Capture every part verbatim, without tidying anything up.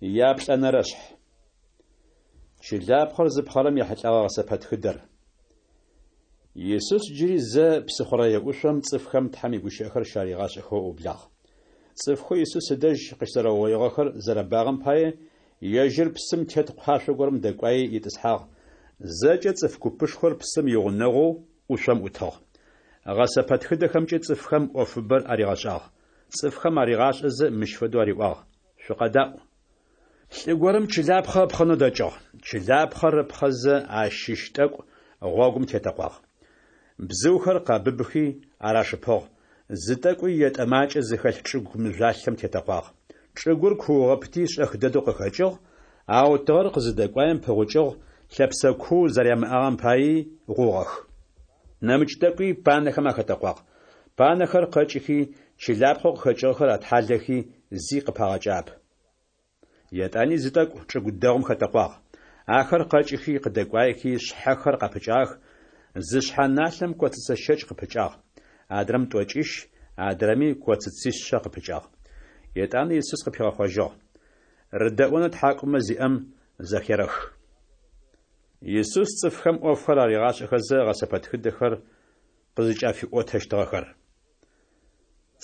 Яплӏэнэрэшъхь. Чылапхъэр зыпхъэрэм ехьылӏэгъэ гъэсэпэтхыдэр. Исус джыри зэ псыхъурэе ӏушъом цӏыфхэм Тхьэм игущыӏэхэр щаригъашӏэхэу ыублагъ. Цӏыфхэу Исус ыдэжь къыщызэрэугъоигъэхэр зэрэбагъэм пае, ежьыр псым тет къуашъо горэм дэкӏуаий итӏысхьагъ, зэкӏэ цӏыф купышхор псым игъунэгъоу ӏушъом ӏутыгъ. Гъэсэпэтхыдэхэмкӏэ цӏыфхэм ӏофыбэр аригъэшӏагъ. Цӏыфхэм аригъашӏэзэ мыщ фэдэу ариӏуагъ: Шъукъэдаӏу. Лӏы горэм чылапхъэ ыпхъэнэу дэкӏыгъ. Чылапхъэр ыпхъэзэ ащыщ тӏэкӏу гъогум тетэкъуагъ. Бзыухэр къэбыбыхи ар ашыпыгъ, зы тӏэкӏуи етӏэ макӏэ зыхэлъ чӏыгу мыжъуалъэм тетэкъуагъ. Чӏыгур куухыгъэпти шӏэх дэдэу къыхэкӏыгъ, ау тыгъэр къызыдэкӏуаем пыгъукӏыгъ, лъэпсэ куу зэрямыӏагъэм паий гъугъэх. Нэмыкӏ тӏэкӏуи панэхэм ахэтэкъуагъ. Панэхэр къэкӏыхи, чылапхъэу къыхэкӏыгъэхэр атхьалэхи, зи къыпагъэкӏыгъэп. Етӏани зы тӏэкӏу чӏыгу дэгъум хэтэкъуагъ. Ахэр къэкӏыхи, къыдэкӏуаехи, шъхьэхэр къапыкӏагъэх, зы шъхьэ налъэм коцыцэ щэкӏ къыпыкӏагъ, адрэм тӏокӏищ, адрэми коцыцишъэ къыпыкӏагъ. Етӏанэ Исус къыпигъэхъожьыгъ: Рыдэӏонэу тхьакӏумэ зиӏэм зэхерэх. Исус цӏыфхэм ӏофхэр аригъашӏэхэзэ гъэсэпэтхыдэхэр къызыкӏафиӏотэщтыгъэхэр.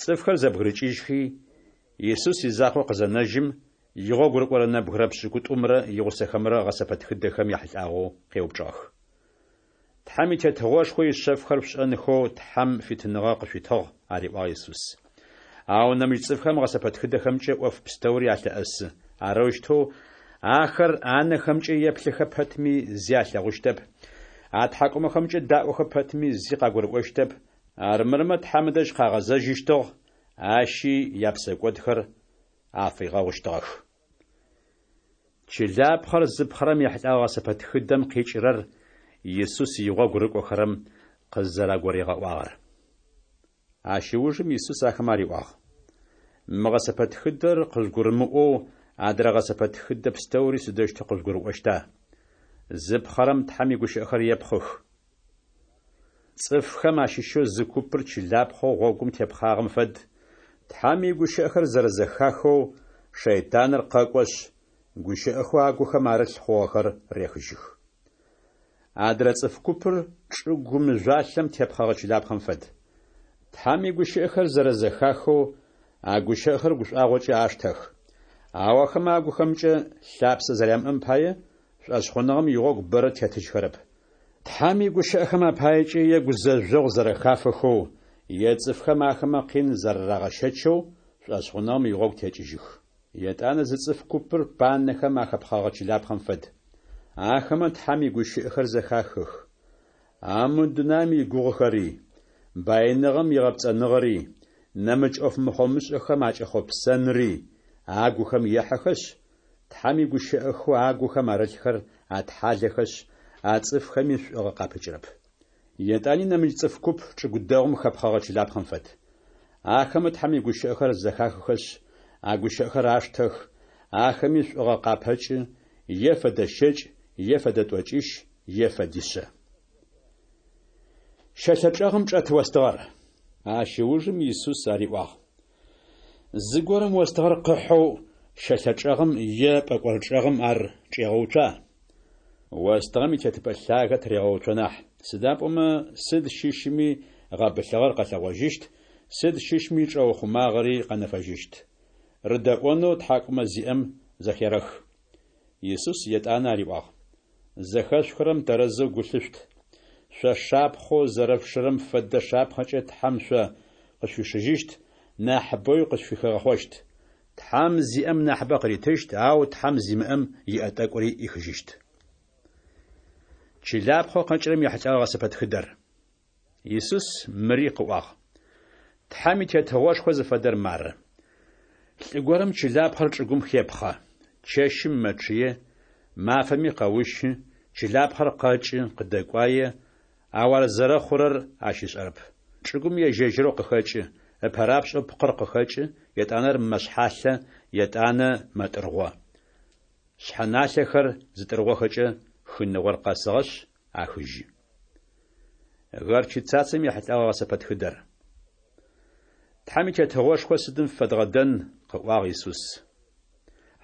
Цӏыфхэр зэбгырыкӏыжьхи, Исус изакъоу къызэнэжьым, игъогу рыкӏорэ нэбгырэ пшӏыкӏутӏумрэ игъусэхэмрэ гъэсэпэтхыдэхэм яхьылӏагъэу къеупчӏыгъэх. Тхьэм и Тетыгъошхо ишъэфхэр шъушӏэнхэу Тхьэм фитыныгъэ къышъуитыгъ, ариӏуагъ Исус. Ау нэмыкӏ цӏыфхэм гъэсэпэтхыдэхэмкӏэ ӏоф пстэури алъэӏэсы. Арэущтэу ахэр анэхэмкӏэ еплъыхэ пэтми зи алъэгъущтэп, атхьакӏумэхэмкӏэ даӏохэ пэтми зи къагурыӏощтэп, армырмэ Тхьэм ыдэжь къагъэзэжьыщтыгъ, ащи япсэкӏодхэр афигъэгъущтыгъэх. Чылапхъэр зыпхъэрэм ехьылӏэгъэ гъэсэпэтхыдэм къикӏырэр Исус игъогу рыкӏохэрэм къызэрагуригъэӏуагъэр. Ащ ыужым Исус ахэмэ ариӏуагъ: Мы гъэсэпэтхыдэр къыжъугурымыӏоу адрэ гъэсэпэтхыдэ пстэури сыдэущтэу къыжъугурыӏощта? Зыпхъэрэм Тхьэм игущыӏэхэр епхъых. Цӏыфхэм ащыщэу зы купыр чылапхъэу гъогум тепхъагъэм фэд, Тхьэм игущыӏэхэр зэрэзэхахэу шэйтаныр къэкӏошъ, гущыӏэхэу агухэм арылъ хъугъэхэр рехыжьых. Адрэ цӏыф купыр чӏыгу мыжъуалъэм тепхъэгъэ чылапхъэм фэд. Тхьэм игущыӏэхэр зэрэзэхахэу а гущыӏэхэр гушӏуагъокӏэ аштэх. Ау ахэмэ агухэмкӏэ лъапсэ зэрямыӏэм пае, шӏошъхъуныгъэм игъогу бэрэ тетыжьхэрэп. Тхьэм игущыӏэхэм апаекӏэ е гузэжъогъу зэрэхафэхэу, е цӏыфхэм ахэмэ къин зэрарагъэщэчэу шӏошъхъуныгъэм игъогу текӏыжьых. Етӏанэ зы цӏыф купыр панэхэм ахэпхъэгъэ чылапхъэм фэд. Ахэмэ Тхьэм игущыӏэхэр зэхахых. Ау мы дунаим игугъухэри, баиныгъэм игъэпцӏэныгъэри, нэмыкӏ ӏоф мыхъомышӏэхэм акӏэхъопсэнри агухэм ехьэхэшъ, Тхьэм игущыӏэхэу агухэм арылъхэр атхьалэхэшъ, а цӏыфхэми шӏуагъэ къапыкӏырэп. Етӏани нэмыкӏ цӏыф куп чӏыгу дэгъум хэпхъэгъэ чылапхъэм фэд. Ахэмэ Тхьэм игущыӏэхэр зэхахыхэшъ, а гущыӏэхэр аштэх, ахэми шӏуагъэ къапэкӏы, е фэдэ щэкӏ, е фэдэ тӏокӏищ, е фэдишъэ. Щэлъэ чӏэгъым чӏэт остыгъэр. Ащ ыужым Исус ариӏуагъ: Зыгорэм остыгъэр къыхьэу щэлъэ чӏэгъым е пӏэкӏор чӏэгъым ар чӏегъэуцуа? Остыгъэм итетыпӏэ лъагэ тырегъэуцо нахь, сыда пӏомэ сыд щыщми гъэбылъыгъэр къэлъэгъожьыщт, сыд щыщми чӏэухъумагъэри къэнэфэжьыщт. Рыдэӏонэу тхьакӏумэ зиӏэм зэхерэх. Исус етӏанэ ариӏуагъ: Зэхэшъухырэм тэрэзэу гу лъышъут. Шъо шапхъэу зэрэшъушырэм фэдэ шапхъэкӏэ Тхьэм шъо къышъуишыжьыщт, нахьыбэуи къышъуфыхигъэхъощт. Тхьэм зиӏэм нахьыбэ къыритыщт, ау Тхьэм зимыӏэм иӏэ тӏэкӏури ӏихыжьыщт. Чылапхъэу къэкӏырэм ехьылӏэгъэ гъэсэпэтхыдэр. Исус мыри къыӏуагъ: Тхьэм и Тетыгъошхо зыфэдэр мары. Лӏы горэм чылапхъэр чӏыгум хепхъэ. Чэщым мэчъые, мафэми къэущы, чылапхъэр къэкӏы, къыдэкӏуае, ау ар зэрэхъурэр ащ ышӏэрэп. Чӏыгум ежь-ежьырэу къыхэкӏы, ыпэрапшӏэу пкъыр къыхэкӏы, етӏанэ ар мэшъхьалъэ, етӏанэ мэтӏыргъо. Шъхьэналъэхэр зытӏыргъохэкӏэ, хыныгъор къэсыгъэшъ, ахыжьы. Горчицацэм ехьылӏэгъэ гъэсэпэтхыдэр. Тхьэм и Тетыгъошхо сыдым фэдгъэдэн, къыӏуагъ Исус.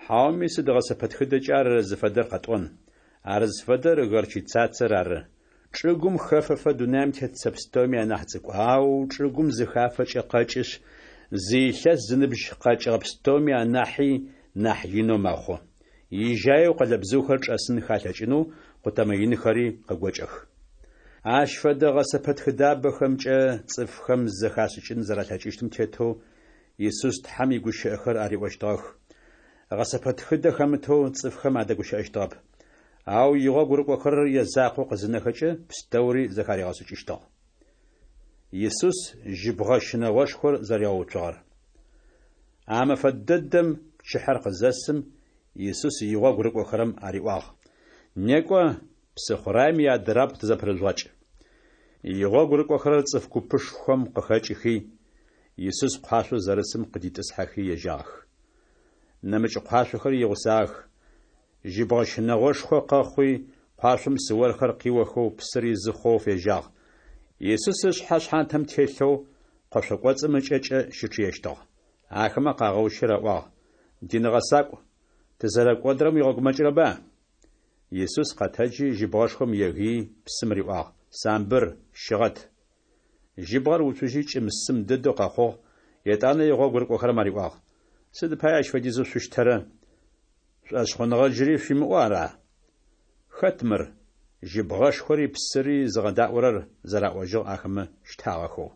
Хьауми сыд гъэсэпэтхыдэкӏэ ар зыфэдэр къэтӏон? Ар зыфэдэр горчицацэр ары. Чӏыгум хэфэфэ дунаим тет цэ пстэуми анахь цӏыкӏу, ау чӏыгум зыхафэкӏэ къэкӏышъ, зы илъэс зыныбжь къэкӏыгъэ пстэуми анахьи нахь инэу мэхъу. Ижьаеу къолэбзыухэр чӏэсынхэ алъэкӏынэу къутэмэ инхэри къыгокӏэх. Ащ фэдэ гъэсэпэтхыдабэхэмкӏэ цӏыфхэм зэхашӏыкӏын зэралъэкӏыщтым тетэу Исус Тхьэм игущыӏэхэр ариӏощтыгъэх. Гъэсэпэтхыдэ хэмытэу цӏыфхэм адэгущыӏэщтыгъэп. Ау игъогу рыкӏохэрэр язакъоу къызынэхэкӏэ, пстэури зэхаригъэшӏыкӏыщтыгъ. Исус жьыбгъэ щынэгъошхор зэригъэуцугъэр. А мэфэ дэдэм пчыхьэр къызэсым, Исус игъогу рыкӏохэрэм ариӏуагъ: Некӏо, псыхъураем иадырабгъу тызэпырыжъугъэкӏ. Игъогу рыкӏохэрэр цӏыф купышхом къыхэкӏыхи, Исус къуашъоу зэрысым къыдитӏысхьэхи ежьагъэх. Нэмыкӏ къуашъохэри игъусагъэх. Жьыбгъэ щынэгъошхо къэхъуи, къуашъом псыорхэр къиохэу псыр изы хъоу фежьагъ. Исус ышъхьэ шъхьантэм телъэу къошъо кӏоцӏым ыкӏэкӏэ щычъыещтыгъ. Ахэмэ къагъэущи раӏуагъ: Дин гъэсакӏу, тызэрэкӏодырэм уигъэгумэкӏырэба? Исус къэтэджи, жьыбгъэшхом егыий, псым риӏуагъ: Самбыр, щыгъэт! Жьыбгъэр уцужьи кӏым-сым дэдэу къэхъугъ, етӏанэ игъогу рыкӏохэрэм ариӏуагъ: Сыд пае ащ фэдизэу шъущтэрэ? Шӏошъхъуныгъэ джыри шъуимыӏэу ара? Хэт мыр? Жьыбгъэшхори псыри зыгъэдаӏорэр, зэраӏожьыгъ ахэмэ щтагъэхэу.